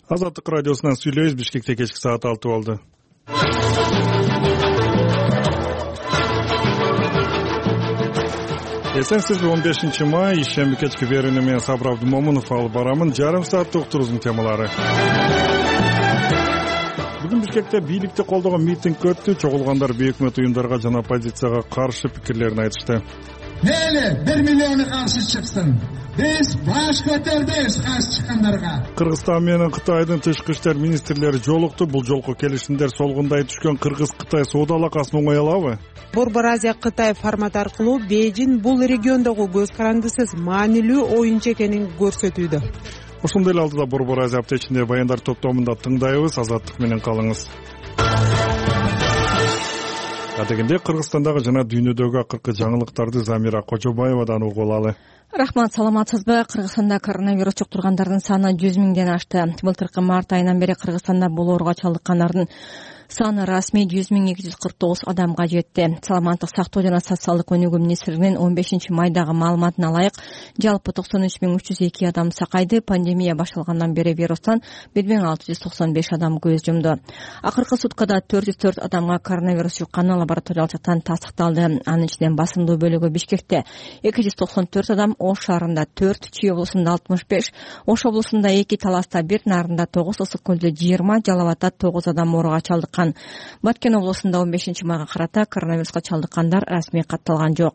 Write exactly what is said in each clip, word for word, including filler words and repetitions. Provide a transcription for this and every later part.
Азаттык радиосунан сүйлөйбүз. Бишкекте кечки саат алты болду. Эсенсизби он бешинчи май ишемби кечки берүүнү мен Сабыр Абдымомунов алып барамын. Жарым сааттык уктуруубуздун темалары. Бүгүн Бишкекте бийликти колдогон митинг өттү. Чогулгандар бейөкмөт уюмдарга жана оппозицияга каршы пикирлерин айтышты. Мейли бир миллиону каршы чыксын. Биз баш көтөрбөйбүз каршы чыккандарга. Кыргызстан менен Кытайдын тышкы иштер министрлери жолукту. Бул жолку келишимдер солгундай түшкөн Кыргыз-Кытай соода алакасын оңой алабы? Борбор Азия Кытай формат аркылуу Бейжин бул региондогу көз карандысыз маанилүү оюнчу экенин көрсөтүүдө. Ошондой эле алдыда Борбор Азия аптечинде баяндар топтомунда тыңдайбыз. Азаттык менен калыңыз. Адегенде Кыргызстандагы жана дүйнөдөгү акыркы жаңылыктарды Замира Кожобаевадан угуп алалы. Рахмат, саламатсызбы? Кыргызстанда коронавирус жуктургандардын саны жүз миңден ашты. Былтыркы март айынан бери Кыргызстанда бул ооруга чалдыккандардын саны расмий жүз миң эки жүз кырк тогуз адамга жетти. Саламаттык сактоо жана социалдык өнүгүү министрлигинин он бешинчи майдагы маалыматына ылайык, жалпы токсон үч миң үч жүз эки адам сакайды. Пандемия башталгандан бери вирустан бир миң алты жүз токсон беш адам көз жумду. Акыркы суткада төрт жүз төрт адамга коронавирус жукканы лабораториялык жактан тастыкталды. Анын ичинен басымдуу бөлүгү Бишкекте эки жүз токсон төрт адам, Ош шаарында төрт, Чүй облусунда алтымыш беш, Ош облусунда эки, Таласта бир, Нарында тогуз, Ысык көлдө жыйырма, Жалал Абадта тогуз адам ооруга чалдыккан. Баткен облусунда он бешинчи майга карата коронавируска чалдыккандар расмий катталган жок.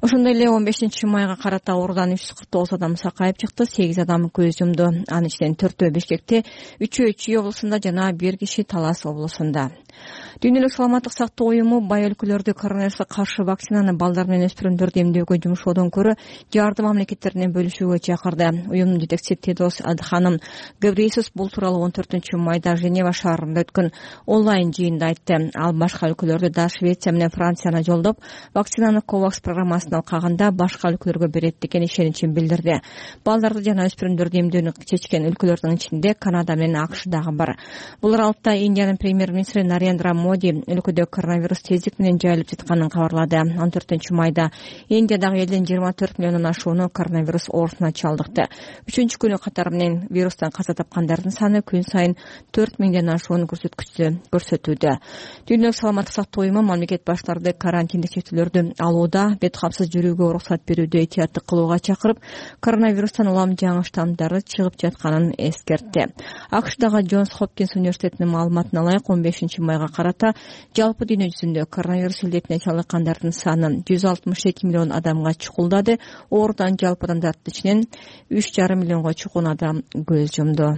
Ошондой эле он бешинчи майга карата оорудан үч жүз кырк тогуз адам сакайып чыкты, сегиз адам көз жумду. Анын ичинен төртөө Бишкекте, үчөө Чүй облусунда жана бир киши Талас облусунда. Дүйнөлүк саламаттык сактоо уюму бай өлкөлөрдө коронавируска каршы вакцинаны балдар менен өспүрүмдөрдү эмдөөгө жумшоодон көрө жардым мамлекеттеринен бөлүшүүгө чакырды. Уюмдун жетекчиси Тедрос Адханым Гебрейесус бул тууралуу он төртүнчү майда Женева шаарында өткөн онлайн жыйында айтты. Ал башка өлкөлөрдү да Швеция менен Францияны жолдоп, вакцинаны Ковакс программасына алкаганда башка өлкөлөргө берет деген ишеничин билдирди. Балдарды жана өспүрүмдөрдү эмдөөнү чечкен өлкөлөрдүн ичинде Канада менен АКШ дагы бар. Бул аралыкта Индиянын премьер-министри Нарендра Моди өлкөдө коронавирус тездик менен жайылып жатканын кабарлады. он төртүнчү майда Индиядагы элдин жыйырма төрт миллиондон ашууну коронавирус оорусуна чалдыкты. Үчүнчү күнү катары менен вирустан каза тапкандардын саны күн сайын төрт миңден ашуун көрсөткүчтү көрсөтүүдө. Дүйнөлүк саламаттык сактоо уюму мамлекет баштарды карантиндик чектөөлөрдү алууда, бет капсыз жүрүүгө уруксат берүүдө этияттык кылууга чакырып, коронавирустан улам жаңы штаммдары чыгып жатканын эскертти. АКШдагы Джонс Хопкинс университетинин маалыматына ылайык он бешинчи майга карата жалпы дүйнө жүзүндө коронавирус илдетине чалдыккандардын саны жүз алтымыш эки миллион адамга чукулдады. Оорудан жалпы адамдардын ичинен үч жарым миллионго чукун адам көз жумду.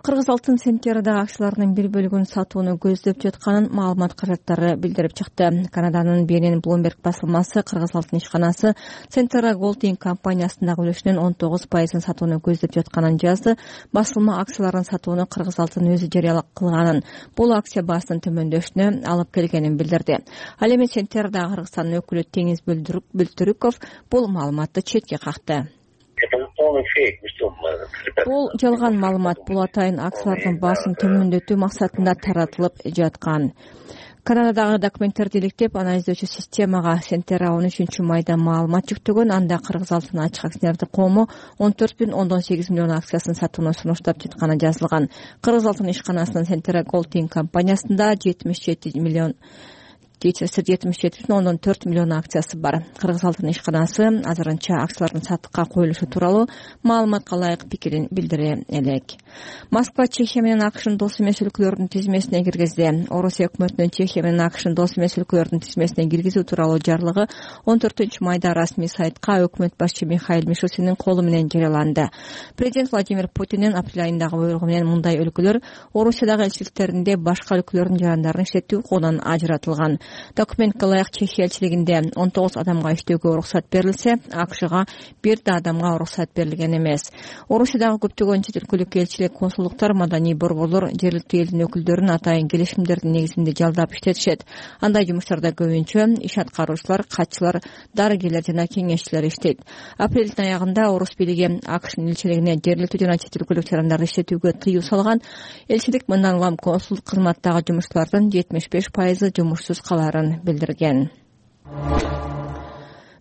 Кыргыз алтын центнердагы акцияларынын бир бөлүгүн сатууну көздөп жатканын маалымат каражаттары билдирип чыкты. Канаданын би эн эн Bloomberg басылмасы Кыргыз алтын ишканасы Centera Golding компаниясындагы үлүшүнүн он тогуз пайызын сатууну көздөп жатканын жазды. Басылма акцияларын сатууну Кыргыз алтын өзү жарыялап кылганын, бул акция баасынын төмөндөшүнө алып келгенин билдирди. Ал эми Centera'дагы Кыргызстандын өкүлү Теңиз Бүлтүрүков бул маалыматты четке какты. Бул жалган маалымат, бул атайын акциялардын баасын төмөндөтүү максатында таратылып жаткан. Канададагы документтерди иликтеп, анализдөөчү системага Centera он үчүнчү майда маалымат жүктөгөн. Анда Кыргыз алтын ачык акционердик коому он төрт бүтүн ондон сегиз миллион акциясын сатууну сунуштап жатканы жазылган. Кыргыз алтын ишканасынын Centera Golding компаниясында жетимиш жети миллион жетимиш жети бүтүн ондон төрт миллион акциясы бар. Кыргыз алтын ишканасы азырынча акциялардын сатыкка коюлушу тууралуу маалыматка ылайык пикирин билдире элек. Москва Чехия менен АКШдын дос эмес өлкөлөрдүн тизмесине киргизди. Орусия өкмөтүнүн Чехия менен АКШдын дос эмес өлкөлөрдүн тизмесине киргизүү тууралуу жарлыгы он төртүнчү майда расмий сайтка өкмөт башчы Михаил Мишустиндин колу менен жарыяланды. Президент Владимир Путиндин апрель айындагы буйругу менен мындай өлкөлөр Орусиядагы элчиликтеринде башка өлкөлөрдүн жарандарын иштетүү укугунан ажыратылган. Документке ылайык Чехия элчилигинде он тогуз адамга иштөөгө уруксат берилсе, АКШга бир да адамга уруксат берилген эмес. Орусиядагы көптөгөн чет өлкөлүк элчилик, консулдуктар, маданий борборлор жергиликтүү элдин өкүлдөрүн атайын келишимдердин негизинде жалдап иштетишет. Андай жумуштарда көбүнчө иш аткаруучулар, катчылар, дарыгерлер жана кеңешчилер иштейт. Апрелдин аягында Орус бийлиги АКШнын элчилигине жергиликтүү жана чет өлкөлүк жарандарды иштетүүгө тыюу салган. Элчилик мындан улам консулдук кызматтагы жумушчулардын жетимиш беш пайызы жумушсуз каларын билдирген.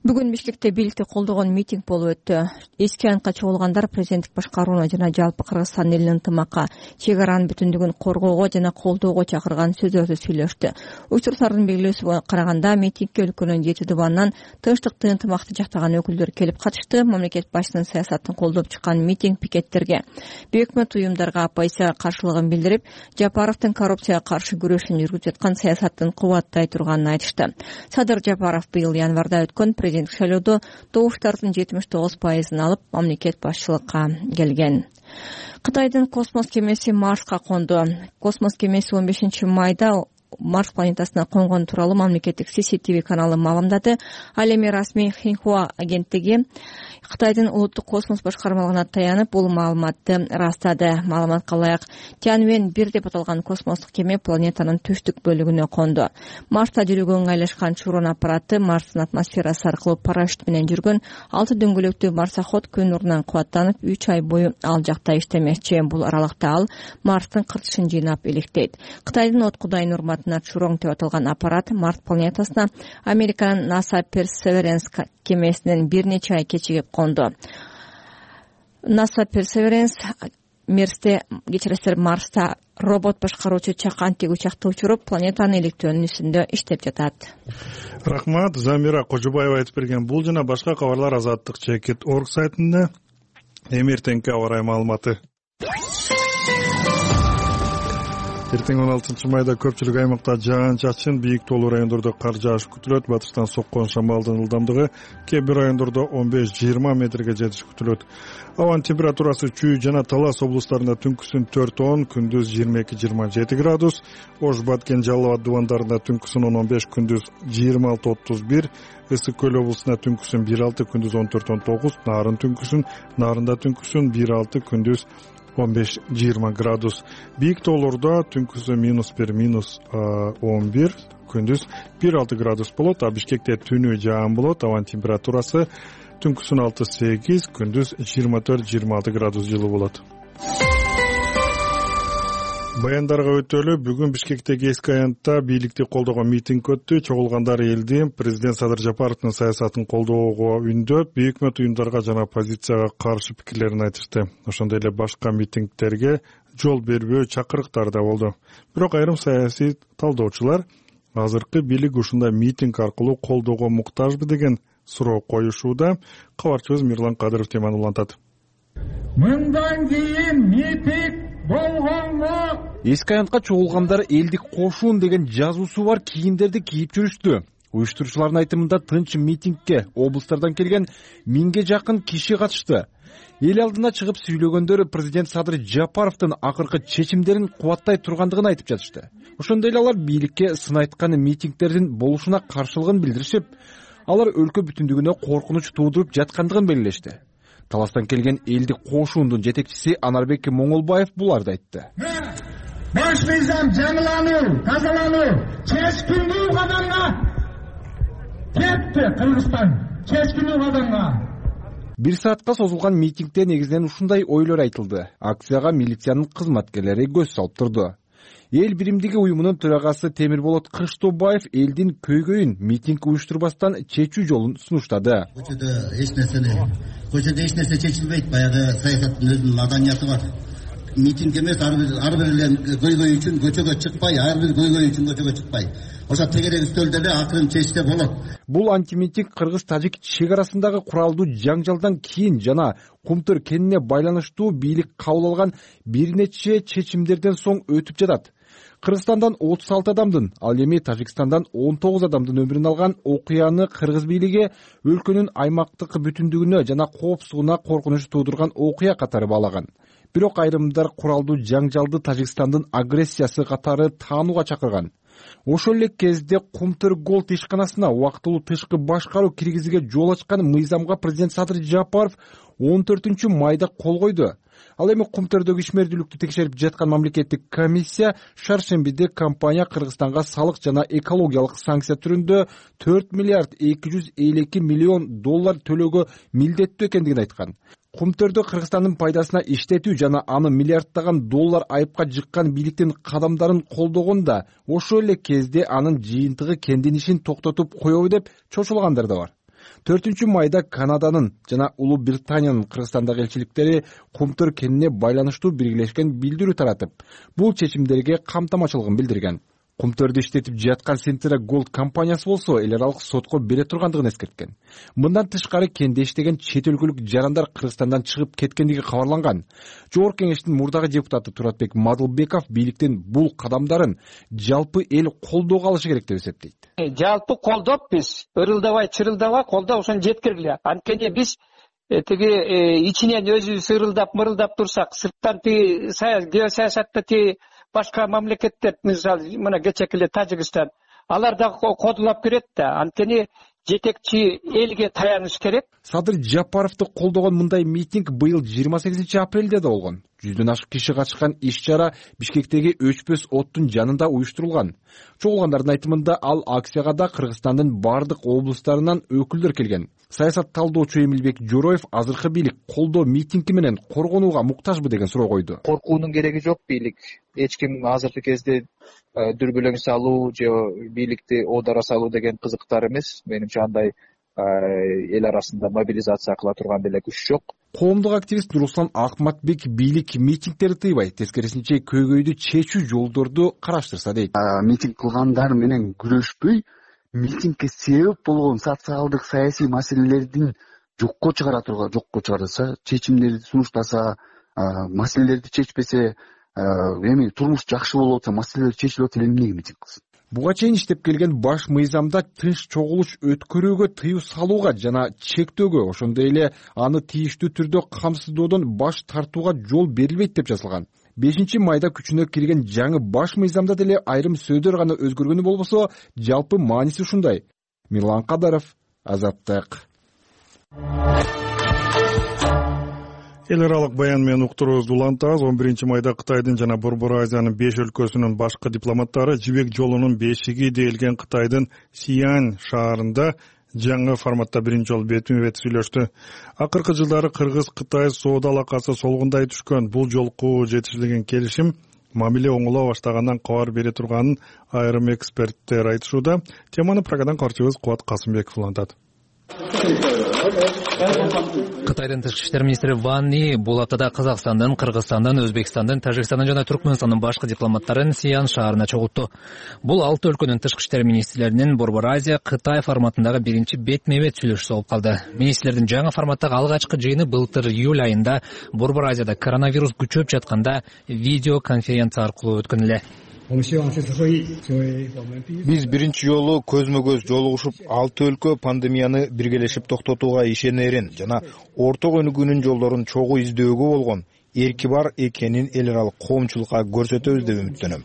Бүгүн Бишкекте бийликти колдогон митинг болуп өттү. Эски аянтка чогулгандар президенттик башкарууна жана жалпы Кыргызстан элинин ынтымакка, чек аранын бүтүндүгүн коргоого жана колдоого чакырган сөздөрдү сүйлөштү. Учурлардын белгилөөсүнө караганда митингге өлкөнүн жети дубанынан тынчтыкты, ынтымакты жактаган өкүлдөр келип катышты. Мамлекет башчысынын саясатын колдоп чыккан митинг пикеттерге бейөкмөт уюмдарга оппозиция каршылыгын билдирип, Жапаровдун коррупцияга каршы күрөшүн жүргүзүп жаткан саясатын кубаттай турганын айтышты. Садыр Жапаров быйыл январда өткөн президенттик шайлоодо добуштардын жетимиш тогуз пайызын алып, мамлекет башчылыкка келген. Кытайдын космос кемеси Марска конду. Космос кемеси он бешинчи майда Марс планетасына конгон тууралуу мамлекеттик си си ти ви каналы маалымдады. Ал эми расмий Хинхуа агенттиги Кытайдын улуттук космос башкармалыгына таянып, бул маалыматты растады. Маалыматка ылайык, Тяньвэнь бир деп аталган космостук кеме планетанын түштүк бөлүгүнө конду. Марста жүрүүгө ыңгайлашкан Чурон аппараты Марстын атмосферасы аркылуу парашют менен жүргөн алты дөңгөлөктүү марсоход күн нурунан кубаттанып, үч ай бою ал жакта иштемекчи. Бул аралыкта ал Марстын кыртышын жыйнап иликтейт. Кытайдын от Кудай нурматына Чурон деп аталган аппарат Марс планетасына Американын NASA Perseverance кемесинен бир нече ай кечигип конду. NASA Perseverance Мерсте кечиресиздер Марста робот башкаруучу чакантик учакты учуруп, планетаны иликтөөнүн үстүндө иштеп жатат. Рахмат. Замира Кожубаева айтып берген бул жана башка кабарлар Азаттык чекит точка орг сайтында. Эмертеңки аба ырайы маалыматы. Эртең он алтынчы майда көпчүлүк аймакта жаан-чачын, бийик тоолуу райондордо кар жааш күтүлөт. Батыштан соккон шамалдын ылдамдыгы кээ бир райондордо он беш жыйырма метрге жетиш күтүлөт. Абанын температурасы Чүй жана Талас облустарында түнкүсүн төрт он, күндүз жыйырма эки жыйырма жети градус, Ош, Баткен, Жалал абад дубандарында түнкүсүн он он беш, күндүз жыйырма алты отуз бир, Ысык көл облусунда түнкүсүн бир алты, күндүз он төрт он тогуз, Нарын түнкүсүн, Нарында түнкүсүн бир алты, күндүз он беш жыйырма градус. Бийик тоолордо түнкүсү минус бир, минус он бир, күндүз бир алты градус болот. А Бишкекте түнү жаан болот. Абанын температурасы түнкүсүн алты сегиз, күндүз жыйырма төрт жыйырма алты градус жылуу болот. Баяндарга өтөлү. Бүгүн Бишкектеги эски аянтта бийликти колдогон митинг өттү. Чогулгандар элди президент Садыр Жапаровдун саясатын колдоого үндөп, бейөкмөт уюмдарга жана оппозицияга каршы пикирлерин айтышты. Ошондой эле башка митингдерге жол бербөө чакырыктар да болду. Бирок айрым саясий талдоочулар азыркы бийлик ушундай митинг аркылуу колдоого муктажбы деген суроо коюшууда. Кабарчыбыз Мирлан Кадыров теманы улантат. Мындан кийин митинг болгонго эски аянтка чогулгандар элдик кошуун деген жазуусу бар кийимдерди кийип жүрүштү. Уюштуруучулардын айтымында тынч митингге облустардан келген миңге жакын киши катышты. Эл алдына чыгып сүйлөгөндөр президент Садыр Жапаровдун акыркы чечимдерин кубаттай тургандыгын айтып жатышты. Ошондой эле алар бийликке сын айткан митингдердин болушуна каршылыгын билдиришип, алар өлкө бүтүндүгүнө коркунуч туудуруп жаткандыгын белгилешти. Таластан келген элдик кошуундун жетекчиси Анарбек Моңолбаев буларды айтты. Баш мыйзам жаңылануу, тазалануу, чечкиндүү кадамга кетти Кыргызстан. Чечкиндүү кадамга. Бир саатка созулган митингде негизинен ушундай ойлор айтылды. Акцияга милициянын кызматкерлери көз салып турду. Эл биримдиги уюмунун төрагасы Темирболот Кыштообаев элдин көйгөйүн митинг уюштурбастан чечүү жолун сунуштады. Көчөдө эч нерсени, көчөдө эч нерсе чечилбейт. Баягы саясаттын өзүнүн маданияты бар. Митинг эмес, ар бир ар бир көйгөй үчүн көчөгө чыкпай, ар бир көйгөй үчүн көчөгө чыкпай. Ошо тегерек үстөлдө эле акырын чечсе болот. Бул антимитинг кыргыз-тажик чек арасындагы куралдуу жаңжалдан кийин жана Кумтөр кенине байланыштуу бийлик кабыл алган бир нече чечимдерден соң өтүп жатат. Кыргызстандан отуз алты адамдын, ал эми Тажикстандан он тогуз адамдын өмүрүн алган окуяны кыргыз бийлиги өлкөнүн аймактык бүтүндүгүнө жана коопсуздугуна коркунуч туудурган окуя катары баалаган. Бирок айрымдар куралдуу жаңжалды Тажикстандын агрессиясы катары таанууга чакырган. Ошол эле кезде Кумтөр Голд ишканасына убактылуу тышкы башкаруу киргизүүгө жол ачкан мыйзамга президент Садыр Жапаров он төртүнчү майда кол койду. Ал эми Кумтөрдөгү ишмердүүлүктү текшерип жаткан мамлекеттик комиссия шаршембиде компания Кыргызстанга салык жана экологиялык санкция түрүндө төрт миллиард эки жүз элүү эки миллион доллар төлөөгө милдеттүү экендигин айткан. Кумтөрдө Кыргызстандын пайдасына иштетүү жана аны миллиарддаган доллар айыпка жыккан бийликтин кадамдарын колдогонда ошол эле кезде анын жыйынтыгы кендин ишин токтотуп коебу деп чочулгандар да бар. төртүнчү майда Канаданын жана Улуу Британиянын Кыргызстандагы элчиликтери Кумтөр кенине байланыштуу биргелешкен билдирүү таратып, бул чечимдерге камтамачылыгын билдирген. Кумтөрдү иштетип жаткан Centra Gold компаниясы болсо эл аралык сотко бере тургандыгын эскерткен. Мындан тышкары кенде иштеген чет өлкөлүк жарандар Кыргызстандан чыгып кеткендиги кабарланган. Жогорку кеңештин мурдагы депутаты Туратбек Мадылбеков бийликтин бул кадамдарын жалпы эл колдоого алышы керек деп эсептейт. Жалпы колдоп биз ырылдабай, чырылдабай колдоп ошону жеткиргиле. Анткени биз тиги ичинен өзүбүз ырылдап, мырылдап турсак, сырттан тиги геосаясатта тиги башка мамлекеттер, мисалы мына кечеки эле Тажикстан, алар да кодулап кирет да. Анткени жетекчи элге таяныш керек. Садыр Жапаровду колдогон мындай митинг быйыл жыйырма сегизинчи апрелде да болгон. Жүздөн ашык киши катышкан иш-чара Бишкектеги өчпөс оттун жанында уюштурулган. Чогулгандардын айтымында ал акцияга да Кыргызстандын бардык облустарынан өкүлдөр келген. Саясат талдоочу Эмилбек Жороев азыркы бийлик колдоо митинги менен коргонууга муктажбы деген суроо койду. Коркуунун кереги жок бийлик. Эч ким азыркы кезде дүрбөлөң салуу же бийликти оодара салуу деген кызыктар эмес. Менимче андай эл арасында мобилизация кыла турган деле күч жок. Коомдук активист Руслан Акматбек бийлик митингтерди тыйбай, тескерисинче көйгөйдү чечүү жолдорду караштырса дейт. Митинг кылгандар менен күрөшпөй, митингге себеп болгон социалдык саясий маселелердин жокко чыгара турган, жокко чыгарса, чечимдерди сунуштаса, маселелерди чечпесе, эми турмуш жакшы болуп атса, маселелер чечилип атса, эмнеге митинг кылсын? Буга чейин иштеп келген баш мыйзамда тынч чогулуш өткөрүүгө тыюу салууга жана чектөөгө, ошондой эле аны тийиштүү түрдө камсыздоодон баш тартууга жол берилбейт деп жазылган. бешинчи майда күчүнө кирген жаңы баш мыйзамда деле айрым сөздөр гана өзгөргөнү болбосо, жалпы мааниси ушундай. Мирлан Кадаров, Азаттык. Эл аралык баян менен уктуруубузду улантабыз. он биринчи майда Кытайдын жана Борбор Азиянын беш өлкөсүнүн башкы дипломаттары жибек жолунун бешиги deyilген Кытайдын Сиань шаарында жаңы форматта биринчи жолу бетме бет сүйлөштү. Акыркы жылдары Кыргыз-Кытай соода алакасы солгундай түшкөн. Бул жолку жетишилген келишим мамиле оңоло баштагандан кабар бере турганын айрым эксперттер айтышууда. Теманы Прагадан картчыбыз Кубат Касымбеков улантат. Кытайдын тышкы иштер министри Ван И бул аптада Казакстандын, Кыргызстандын, Өзбекстандын, Тажикстандын жана Түркмөнстандын башкы дипломаттарын Сиань шаарына чогултту. Бул алты өлкөнүн тышкы иштер министрлеринин Борбор Азия Кытай форматындагы биринчи бетме бет сүйлөшүүсү болуп калды. Министрлердин жаңы форматтагы алгачкы жыйыны былтыр июль айында Борбор Азияда коронавирус күчөп жатканда видео конференция аркылуу өткөн эле. Биз биринчи жолу көзмө-көз жолугушуп, алты өлкө пандемияны биргелешип токтотууга ишенерин жана орток өнүгүүнүн жолдорун чогуу издөөгө болгон эрки бар экенин эл аралык коомчулукка көрсөтөбүз деп үмүттөнөм.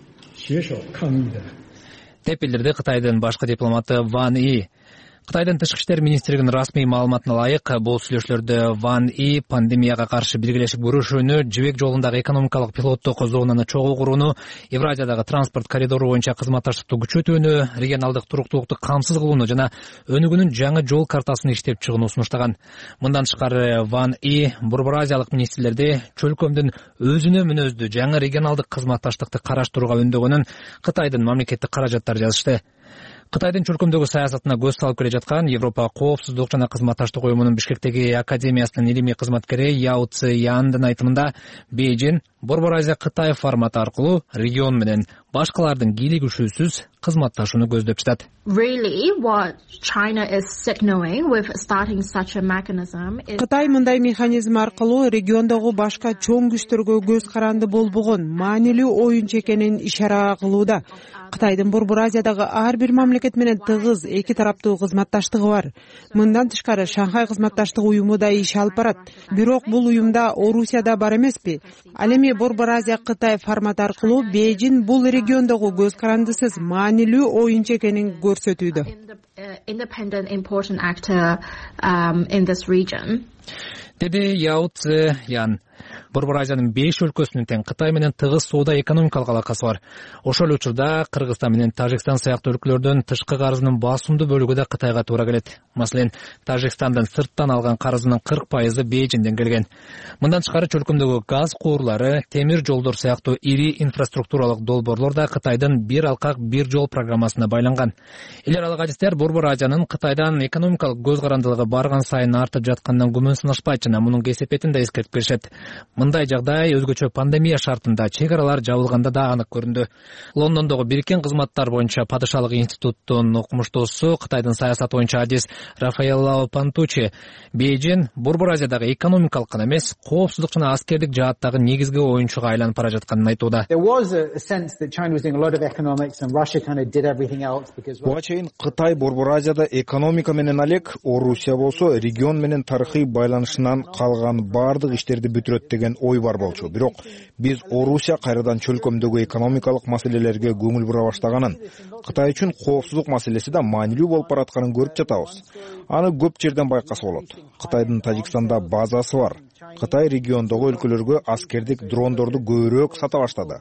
Деп билдирди Кытайдын башкы дипломаты Ван И. Кытайдын тышкы иштер министрлигинин расмий маалыматына ылайык, бул сүйлөшүүлөрдө Ван И пандемияга каршы биргелешип күрөшүүнү, жибек жолундагы экономикалык пилоттук зонаны чогуу курууну, Евразиядагы транспорт коридору боюнча кызматташтыкты күчөтүүнү, регионалдык туруктуулукту камсыз кылууну жана өнүгүүнүн жаңы жол картасын иштеп чыгууну сунуштаган. Мындан тышкары Ван И Борбор Азиялык министрлерди чөлкөмдүн өзүнө мүнөздүү жаңы регионалдык кызматташтыкты караштырууга үндөгөнүн Кытайдын мамлекеттик каражаттары жазышты. Кытайдын чөлкөмдөгү саясатына көз салып келе жаткан Европа коопсуздук жана кызматташтык уюмунун Бишкектеги академиясынын илимий кызматкери Яо Ци Яндын айтымында, Бейжин Борбор Азия Кытай форматы аркылуу регион менен башкалардын кийлигишүүсүз кызматташууну көздөп жатат. Кытай мындай механизм аркылуу региондогу башка чоң күчтөргө көз каранды болбогон маанилүү оюнчу экенин ишара кылууда. Кытайдын Борбор Азиядагы ар бир мамлекет менен тыгыз эки тараптуу кызматташтыгы бар. Мындан тышкары Шанхай кызматташтык уюму да иш алып барат. Бирок бул уюмда Орусия да бар эмеспи? Ал эми Борбор Азия Кытай форматы аркылуу Бейжин бул региондогу көз карандысыз маанилүү оюнчу экенин көрсөтүүдө. Деди Яо Ци Ян. Борбор Азиянын беш өлкөсүнүн тең Кытай менен тыгыз соода экономикалык алакасы бар. Ошол эле учурда Кыргызстан менен Тажикстан сыяктуу өлкөлөрдөн тышкы карызынын басымдуу бөлүгү да Кытайга туура келет. Маселен, Тажикстандын сырттан алган карызынын кырк пайызы Бейжиңден келген. Мындан тышкары чөлкөмдөгү газ куурлары, темир жолдор сыяктуу ири инфраструктуралык долбоорлор да Кытайдын бир алкак бир жол программасына байланган. Эл аралык адистер Борбор Азиянын Кытайдан экономикалык көз карандылыгы барган сайын артып жатканынан күмөн сынашпайт жана мунун кесепетин да эскертип беришет. Мындай жагдай өзгөчө пандемия шартында чек аралар жабылганда да анык көрүндү. Лондондогу Бириккен кызматтар боюнча падышалык институттун окумуштуусу, Кытайдын саясат боюнча адис Рафаэлло Пантучи Бейжиң Борбор Азиядагы экономикалык гана эмес, коопсуздук жана аскердик жааттагы негизги оюнчуга айланып бара жатканын айтууда. Буга чейин Кытай Борбор Азияда экономика менен алек, Орусия болсо регион менен тарыхый байланышынан калган бардык иштерди бүтүрөт деген ой бар болчу. Бирок биз Орусия кайрадан чөлкөмдөгү экономикалык маселелерге көңүл бура баштаганын, Кытай үчүн коопсуздук маселеси да маанилүү болуп баратканын көрүп жатабыз. Аны көп жерден байкаса болот. Кытайдын Тажикстанда базасы бар. Кытай региондогу өлкөлөргө аскердик дрондорду көбүрөөк сата баштады.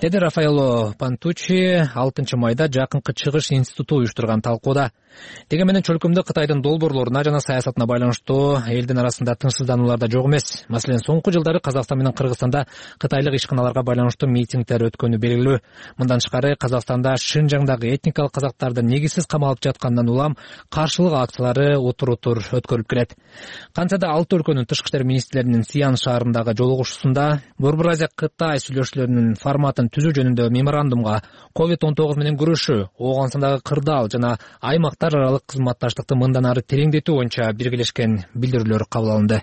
Деди Рафаэлло Пантучи алтынчы майда Жакынкы Чыгыш институту уюштурган талкууда. Деге менен чөлкөмдө Кытайдын долбоорлоруна жана саясатына байланыштуу элдин арасында тынчсыздануулар да жок эмес. Маселен, соңку жылдары Казакстан менен Кыргызстанда кытайлык ишканаларга байланыштуу митингдер өткөнү белгилүү. Мындан тышкары Казакстанда Шинжаңдагы этникалык казактарды негизсиз камалып жаткандан улам каршылык акциялары отур-отур өткөрүлүп келет. Кантса да алты өлкөнүн тышкы иштер министрлеринин Сиан шаарындагы жолугушуусунда Борбор Азия Кытай сүйлөшүүлөрүнүн форматын түзүү жөнүндө меморандумга ковид он тогуз менен күрөшүү, Ооганстандагы кырдаал жана аймактар аралык кызматташтыкты мындан ары тереңдетүү боюнча биргелешкен билдирүүлөр кабыл алынды.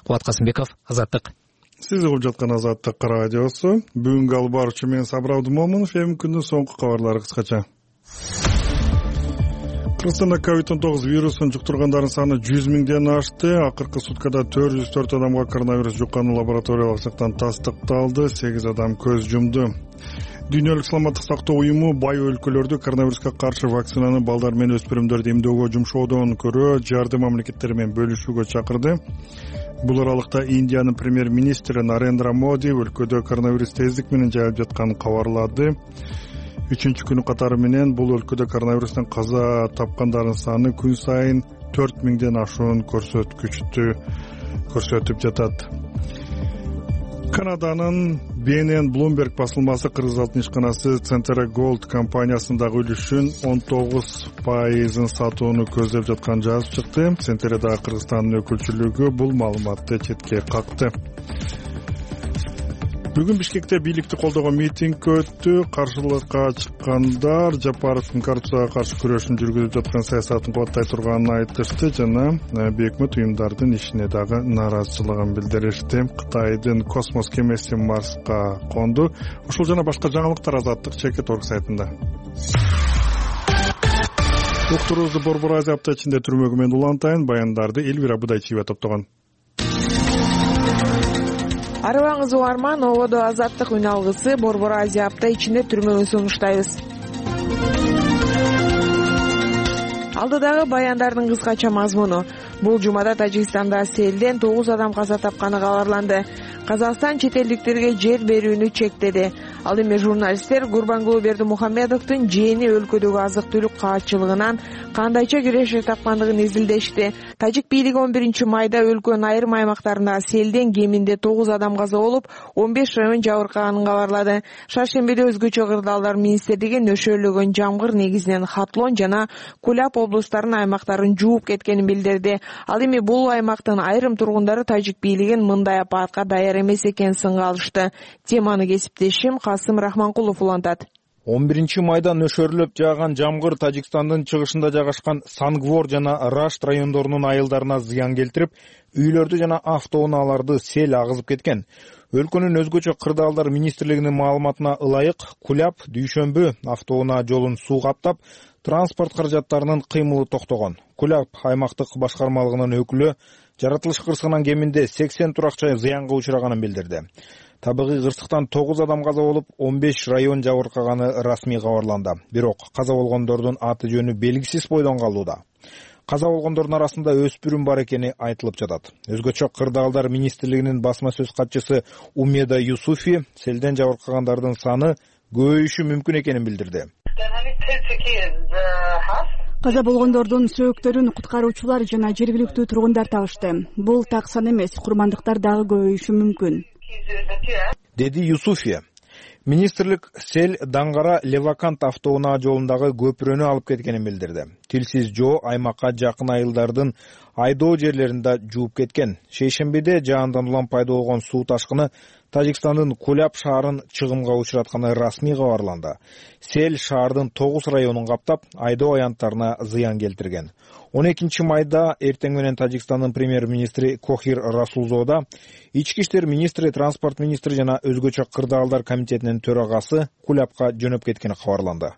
Кубат Касымбеков, Азаттык. Сиз угуп жаткан Азаттык радиосу. Бүгүнкү алып баруучу мен Сабыр Абдымомунов. Эми күндүн соңку кабарлары кыскача. Кыргызстанда ковид он тогуз вирусун жуктургандардын саны жүз миңден ашты. Акыркы суткада төрт жүз төрт адамга коронавирус жукканы лабораториялык жактан тастыкталды. сегиз адам көз жумду. Дүйнөлүк саламаттык сактоо уюму бай өлкөлөрдү коронавируска каршы вакцинаны балдар менен өспүрүмдөрдү эмдөөгө жумшоодон көрө жарды мамлекеттер менен бөлүшүүгө чакырды. Бул аралыкта Индиянын премьер-министри Нарендра Моди өлкөдө коронавирус тездик менен жайылып жатканын кабарлады. Үчүнчү күнү катары менен бул өлкөдө коронавирустан каза тапкандардын саны күн сайын төрт миңден ашуун көрсөткүчтү көрсөтүп жатат. Канаданын Би Эн Эн Bloomberg басылмасы Кыргыз алтын ишканасы Centera Gold компаниясындагы үлүшүн он тогуз пайызын сатууну көздөп жатканын жазып чыкты. Centera'да Кыргызстандын өкүлчүлүгү бул маалыматты четке какты. Бүгүн Бишкекте бийликти колдогон митинг өттү. Каршылыкка чыккандар Жапаровдун коррупцияга каршы күрөшүн жүргүзүп жаткан саясатын кубаттай турганын айтышты жана бейөкмөт уюмдардын ишине дагы нааразычылыгын билдиришти. Кытайдын космос кемеси Марска конду. Ушул жана башка жаңылыктар Азаттык чекит орг сайтында. Уктуруубузду Борбор Азия апта ичинде түрмөгү менен улантайын. Баяндарды Элвира Будайчиева топтогон. Арыбаңыз угарман, ободо Азаттык үн алгысы Борбор Азия апта ичинде түрмөгүн сунуштайбыз. Алдыдагы баяндардын кыскача мазмуну. Бул жумада Тажикстанда селден тогуз адам каза тапканы кабарланды. Казакстан чет элдиктерге жер берүүнү чектеди. Ал эми журналисттер Гурбангулы Бердимухамедовдун жээни өлкөдөгү азык-түлүк каатчылыгынан кандайча киреше тапкандыгын изилдешти. Тажик бийлиги он биринчи майда өлкөнүн айрым аймактарында селден кеминде тогуз адам каза болуп, он беш район жабыркаганын кабарлады. Шаршембиде өзгөчө кырдаалдар министрлиги нөшөөлөгөн жамгыр негизинен Хатлон жана Кулап облустарынын аймактарын жууп кеткенин билдирди. Ал эми бул аймактын айрым тургундары тажик бийлигин мындай апаатка даяр эмес экенин сынга алышты. Теманы кесиптешим Касым Рахманкулов улантат. он биринчи майда нөшөрлөп жааган жамгыр Тажикстандын чыгышында жайгашкан Сангвор жана Рашт райондорунун айылдарына зыян келтирип, үйлөрдү жана автоунааларды сел агызып кеткен. Өлкөнүн өзгөчө кырдаалдар министрлигинин маалыматына ылайык, Кулап дүйшөмбү автоунаа жолун суу каптап, транспорт каражаттарынын кыймылы токтогон. Кулап аймактык башкармалыгынын өкүлү жаратылыш кырсыгынан кеминде сексен туракча зыянга учураганын билдирди. Табигый кырсыктан тогуз адам каза болуп, он беш район жабыркаганы расмий кабарланды. Бирок каза болгондордун аты жөнү белгисиз бойдон калууда. каза болгондордун арасында өспүрүм бар экени айтылып жатат. Өзгөчө Кырдаалдар министрлигинин басма сөз катчысы Умеда Юсуфи селден жабыркагандардын саны көбөйүшү мүмкүн экенин билдирди. Каза болгондордун сөөктөрүн куткаруучулар жана жергиликтүү тургундар табышты. Бул так сан эмес, курмандыктар дагы көбөйүшү мүмкүн, деди Юсуфия. Министрлик сел Даңгара Левакант автоунаа жолундагы көпүрөнү алып кеткенин билдирди. Тилсиз жоо аймакка жакын айылдардын айдоо жерлеринде жууп кеткен. Шейшембиде жаандан улам пайда болгон суу ташкыны Тажикстандын Куляб шаарын чыгымга учуратканы расмий кабарланды. Сел шаардын тогуз районун каптап, айдоо аянттарына зыян келтирген. он экинчи майда эртең менен Тажикстандын премьер-министри Кохир Расулзода, ички иштер министри, транспорт министри жана өзгөчө Кырдаалдар комитетинин төрагасы Кулябка жөнөп кеткени кабарланды.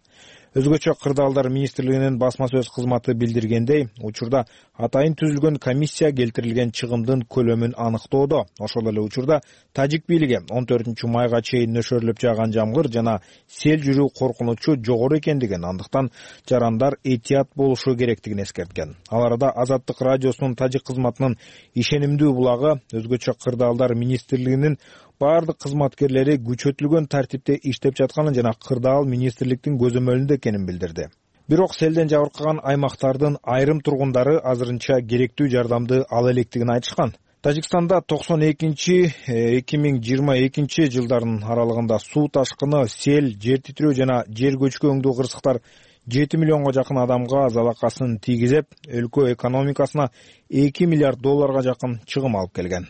Өзгөчө Кырдаалдар министрлигинин басма сөз кызматы билдиргендей, учурда атайын түзүлгөн комиссия келтирилген чыгымдын көлөмүн аныктоодо. Ошол эле учурда тажик бийлиги он төртүнчү майга чейин нөшөрлөп жааган жамгыр жана сел жүрүү коркунучу жогору экендигин, андыктан жарандар этият болушу керектигин эскерткен. Ал арада Азаттык радиосунун тажик кызматынын ишенимдүү булагы өзгөчө Кырдаалдар министрлигинин бардык кызматкерлери күчөтүлгөн тартипте иштеп жатканын жана Кырдаал министрликтин көзөмөлүндө экенин билдирди. Бирок селден жабыркаган аймактардын айрым тургундары азырынча керектүү жардамды ала электигин айтышкан. Тажикстанда токсон экинчи эки миң жыйырма экинчи жылдардын аралыгында суу ташкыны, сел, жер титирөө жана жер көчкү кырсыктар жети миллионго жакын адамга залакасын тийгизип, өлкө экономикасына эки миллиард долларга жакын чыгым алып келген.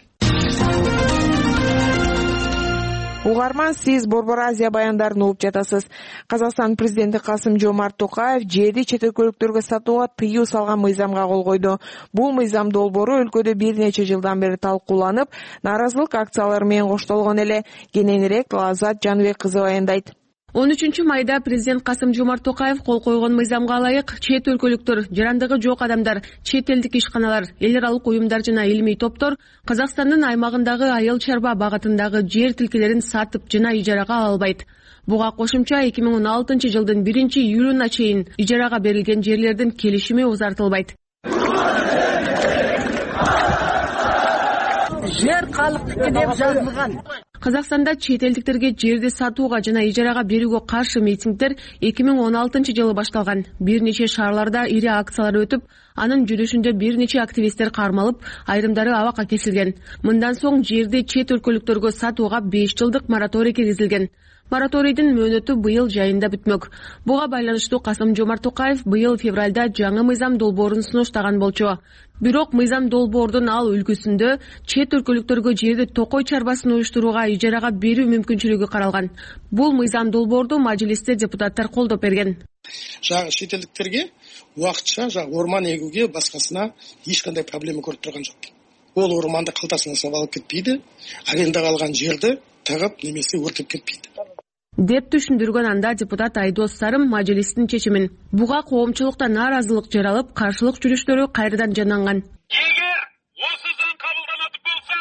Угарман, сиз Борбор Азия баяндарын угуп жатасыз. Казакстан президенти Касым-Жомарт Токаев жерди чет өлкөлүктөргө сатууга тыюу салган мыйзамга кол койду. Бул мыйзам долбоору өлкөдө бир нече жылдан бери талкууланып, нааразылык акциялары менен коштолгон эле. Кененирээк Азат Жаныбек кызы баяндайт. он үчүнчү майда президент Касым-Жомарт Токаев кол койгон мыйзамга ылайык чет өлкөлүктөр, жарандыгы жок адамдар, чет элдик ишканалар, эл аралык уюмдар жана илимий топтор Казакстандын аймагындагы айыл чарба багытындагы жер тилкелерин сатып жана ижарага ала албайт. Буга кошумча эки миң он алтынчы жылдын биринчи июлуна чейин ижарага берилген жерлердин келишими узартылбайт. Жер калктыкы деп жазылган. Казакстанда чет элдиктерге жерди сатууга жана ижарага берүүгө каршы митингдер эки миң он алтынчы жылы башталган. Бир нече шаарларда ири акциялар өтүп, анын жүрүшүндө бир нече активисттер кармалып, айрымдары абакка кесилген. Мындан соң жерди чет өлкөлүктөргө сатууга беш жылдык мораторий киргизилген. Мораторийдин мөөнөтү быйыл жайында бүтмөк. Буга байланыштуу Касым-Жомарт Токаев быйыл февралда жаңы мыйзам долбоорун сунуштаган болчу. Бирок мыйзам долбоордун ал үлгүсүндө чет өлкөлүктөргө жерди токой чарбасын уюштурууга ижарага берүү мүмкүнчүлүгү каралган. Бул мыйзам долбоорду мажлисте депутаттар колдоп берген. Жагы чет элдиктерге убакытча жагы орман эгүүгө башкасына эч кандай проблема көрүп турган жок. Ол орманды калтасына салып алып кетпейди, арендага алган жерди тагып немесе өртөп кетпейди деп түшүндүргөн анда депутат Айдос Сарым мажлистин чечимин. Буга коомчулукта нааразылык жаралып, каршылык жүрүштөрү кайрадан жанданган. Эгер осы заң кабылданат болсо,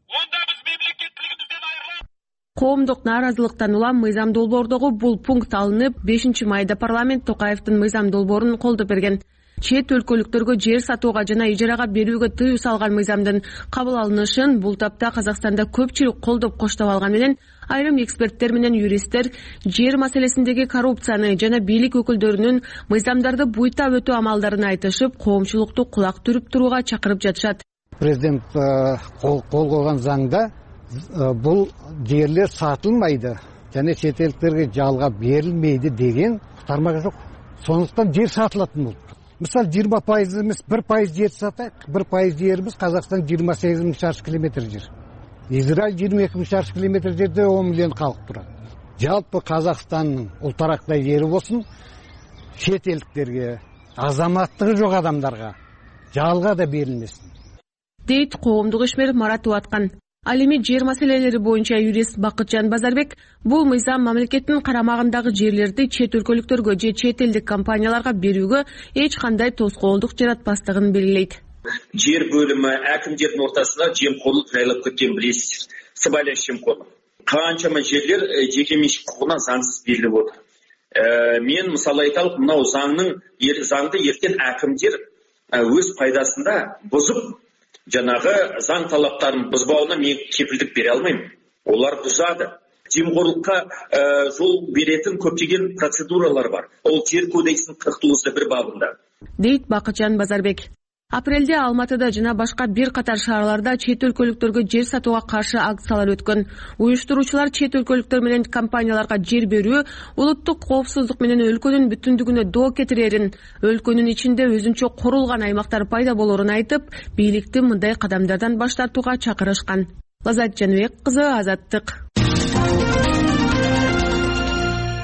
онда биз мемлекеттилигибизден айрылабыз. Коомдук нааразылыктан улам мыйзам долбоордогу бул пункт алынып, бешинчи майда парламент Токаевдин мыйзам долбоорун колдоп берген. Чет өлкөлүктөргө жер сатууга жана ижарага берүүгө тыюу салган мыйзамдын кабыл алынышын бул тапта Казакстанда көпчүлүк колдоп коштоп алган менен айрым эксперттер менен юристтер жер маселесиндеги коррупцияны жана бийлик өкүлдөрүнүн мыйзамдарды буйтап өтүү амалдарын айтышып, коомчулукту кулак түрүп турууга чакырып жатышат. Президент кол койгон заңда бул жерлер сатылмайды жана чет элдиктерге жалга берилмейди деген тармак жок. Сондуктан жер сатылатын болду. Мисалы жыйырма пайыз эмес, бир пайыз жер сатайык. бир пайыз жерибиз Казакстан жыйырма сегиз миң шаршы километр жер. Израиль жыйырма эки миң шаршы километр жерде он миллион калк турат. Жалпы Казакстандын ултарактай жери болсун, чет элдиктерге, азаматтыгы жок адамдарга жалга да берилмесин, дейт коомдук ишмер Марат Уаткан. Ал эми жер маселелери боюнча юрист Бакытжан Базарбек бул мыйзам мамлекеттин карамагындагы жерлерди чет өлкөлүктөргө же чет элдик компанияларга берүүгө эч кандай тоскоолдук жаратпастыгын белгилейт. Жер бөлүмү акимдердин ортасында жемкорлук жайлап кеткен билесиздер. Сыбайлас жемкорлук. Канчама жерлер жеке менчик укугуна заңсыз берилип отур. Мен мисалы айталык, мынау заңдын заңды эртен акимдер өз пайдасында бузуп, жанагы заң талаптарын бузбауына мен кепилдик бере албайм. Олар бузады. Жемкорлукка жол беретін көптеген процедуралар бар. Ол жер кодексинин кырк тогузда бир бабында. Дейт Бакытжан Базарбек. Апрелде Алматыда жана башка бир катар шаарларда чет өлкөлүктөргө жер сатууга каршы акциялар өткөн. Уюштуруучулар чет өлкөлүктөр менен компанияларга жер берүү улуттук коопсуздук менен өлкөнүн бүтүндүгүнө доо кетирерин, өлкөнүн ичинде өзүнчө корулган аймактар пайда болорун айтып, бийликти мындай кадамдардан баш тартууга чакырышкан. Лазат Жаныбек кызы, Азаттык.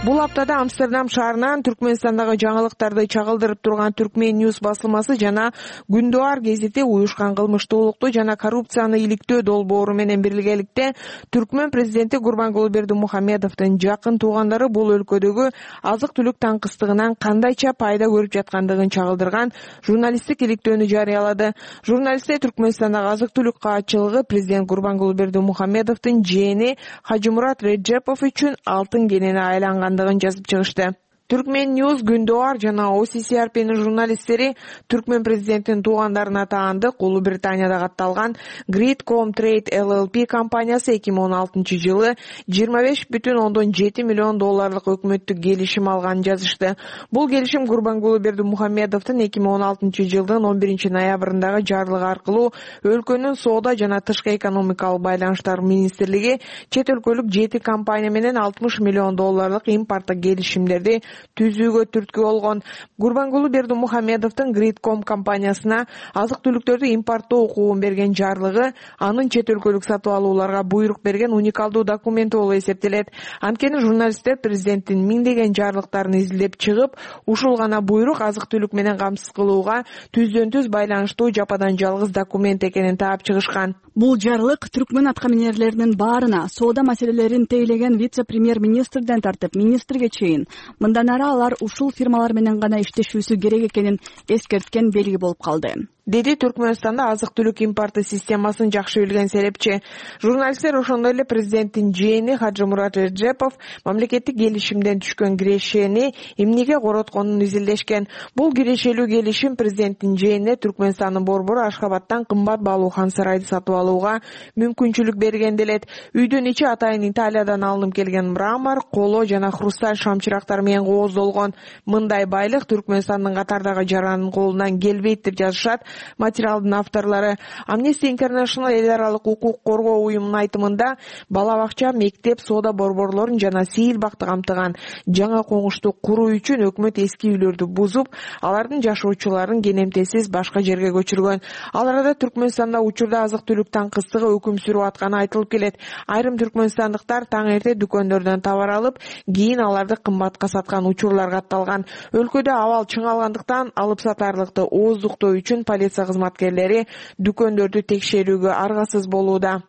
Бул аптада Амстердам шаарынан Түркмөнстандагы жаңылыктарды чагылдырып турган Түркмен Ньюс басылмасы жана Күндүар гезити уюшкан кылмыштуулукту жана коррупцияны иликтөө долбоору менен биргеликте Түркмөн президенти Гурбангулы Бердимухамедовдун жакын туугандары бул өлкөдөгү азык-түлүк таңкыстыгынан кандайча пайда көрүп жаткандыгын чагылдырган журналисттик иликтөөнү жарыялады. Журналисттер Түркмөнстандагы азык-түлүк каатчылыгы президент Гурбангулы Бердимухамедовдун жээни Хажымурат Реджепов үчүн алтын кенени айланган жазып чыгышты. Түркмен Ньюс, Күндүар жана О Си Си Ар П'нин журналисттери Түркмен президентинин туугандарына таандык Улуу Британияда катталган Gridcom Trade Л Л П компаниясы эки миң он алтынчы жылы жыйырма беш бүтүн ондон жети миллион долларлык өкмөттүк келишим алганын жазышты. Бул келишим Гурбангулы Бердимухамедовдун эки миң он алтынчы жылдын он биринчи ноябрындагы жарлыгы аркылуу өлкөнүн соода жана тышкы экономикалык байланыштар министрлиги чет өлкөлүк жети компания менен алтымыш миллион долларлык импорттук келишимдерди түзүүгө түрткү болгон. Гурбангулы Бердимухамедовдун Gridcom компаниясына азык-түлүктөрдү импорттоо укугун берген жарлыгы анын чет өлкөлүк сатып алууларга буйрук берген уникалдуу документ болуп эсептелет. Анткени журналисттер президенттин миңдеген жарлыктарын изилдеп чыгып, ушул гана буйрук азык-түлүк менен камсыз кылууга түздөн түз байланыштуу жападан жалгыз документ экенин таап чыгышкан. Бул жарлык түркмөн аткаминерлеринин баарына соода маселелерин тейлеген вице-премьер-министрден тартып министрге чейин мындан ары алар ушул фирмалар менен гана иштешүүсү керек экенин эскерткен белги болуп калды, деди Түркмөнстанда азык-түлүк импорты системасын жакшы билген серепчи. Журналисттер ошондой эле президенттин жээни Хажымурат Реджепов мамлекеттик келишимден түшкөн кирешени эмнеге коротконун изилдешкен. Бул кирешелүү келишим президенттин жээнине Түркмөнстандын борбору Ашхабадтан кымбат баалуу хан сарайды сатып алууга мүмкүнчүлүк берген делет. Үйдүн ичи атайын Италиядан алынып келген мрамор, коло жана хрусталь шамчырактар менен кооздолгон. Мындай байлык Түркмөнстандын катардагы жаранын колунан келбейт деп жазышат материалдын авторлору. Amnesty International эл аралык укук коргоо уюмунун айтымында бала бакча, мектеп, соода борборлорун жана сейил бакты камтыган жаңа коңушту куруу үчүн өкмөт эски үйлөрдү бузуп, алардын жашоочуларын кенемтесиз башка жерге көчүргөн. Ал арада Түркмөнстанда учурда азык-түлүк таңкыстыгы өкүм сүрүп атканы айтылып келет. Айрым түркмөнстандыктар таң эрте дүкөндөрдөн товар алып, кийин аларды кымбатка саткан учурлар катталган. Өлкөдө абал чыңалгандыктан алып сатарлыкты ооздуктоо үчүн полиция кызматкерлери дүкөндөрдү текшерүүгө аргасыз болууда.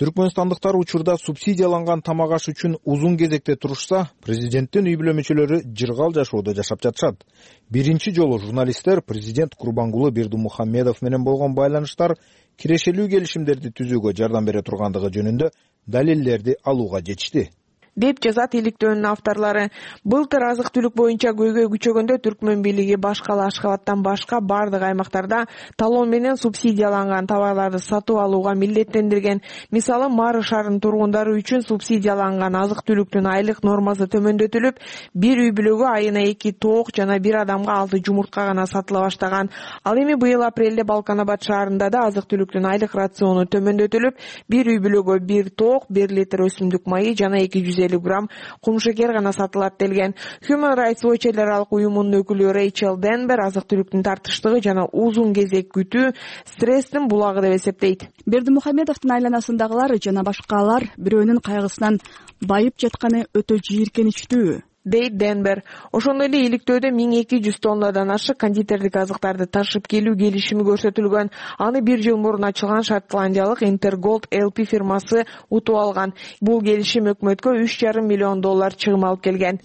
Түркмөнстандыктар учурда субсидияланган тамак аш үчүн узун кезекте турушса, президенттин үй бүлө мүчөлөрү жыргал жашоодо жашап жатышат. Биринчи жолу журналисттер президент Гурбангулы Бердимухамедов менен болгон байланыштар кирешелүү келишимдерди түзүүгө жардам бере тургандыгы жөнүндө далилдерди алууга жетишти, деп жазат иликтөөнүн авторлору. Былтыр азык-түлүк боюнча көйгөй күчөгөндө Түркмөн бийлиги башкала Ашхабадтан башка бардык аймактарда талон менен субсидияланган товарларды сатып алууга милдеттендирген. Мисалы, Мары шаарынын тургундары үчүн субсидияланган азык-түлүктүн айлык нормасы төмөндөтүлүп, бир үй бүлөгө айына эки тоок жана бир адамга алты жумуртка гана сатыла баштаган. Ал эми быйыл апрелде Балканабад шаарында да азык-түлүктүн айлык рациону төмөндөтүлүп, бир үй бүлөгө бир тоок, бир литр өсүмдүк майы жана эки жүз элүү грамм кумшекер гана сатылат делген. Human Rights Watch эл аралык уюмунун өкүлү Рэйчел Денбер азык-түлүктүн тартыштыгы жана узун кезек күтүү стресстин булагы деп эсептейт. Бердимухамедовдун айланасындагылар жана башкалар бирөөнүн кайгысынан байып жатканы өтө жийиркеничтүү, дейт Денбер. Ошондой эле иликтөөдө миң эки жүз тоннадан ашык кондитердик азыктарды ташып келүү келишими көрсөтүлгөн. Аны бир жыл мурун ачылган шотландиялык Интерголд Л П фирмасы утуп алган. Бул келишим өкмөткө үч жарым миллион доллар чыгым алып келген.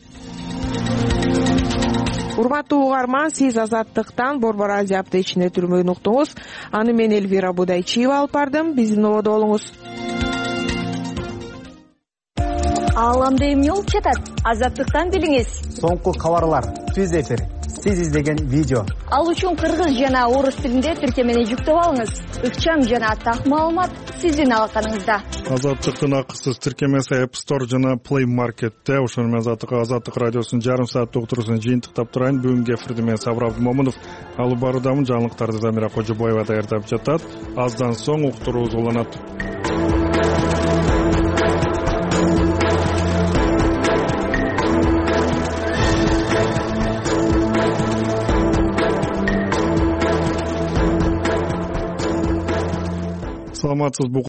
Урматтуу угарман, сиз Азаттыктан Борбор Азия аптечине түрмөгүн уктуңуз. Аны мен Элвира Будайчиева алып бардым. Биздин ободо болуңуз. Ааламда эмне болуп жатат? Азаттыктан билиңиз. Соңку кабарлар, түз эфир сиз издеген видео. Ал үчүн кыргыз жана орус тилинде тиркемени жүктөп алыңыз. Ыкчам жана так маалымат сиздин алаканыңызда. Азаттыктын акысыз тиркемеси App Store жана Play Market'те. Ошону менен Азаттык радиосунун жарым сааттык уктуруусун жыйынтыктап турайын. Бүгүнкү эфирди мен Сабыр Абдымомунов алып баруудамын. Жаңылыктарды Замира Кожобоева даярдап жатат. Аздан соң уктуруубуз уланат. Саламатсызбы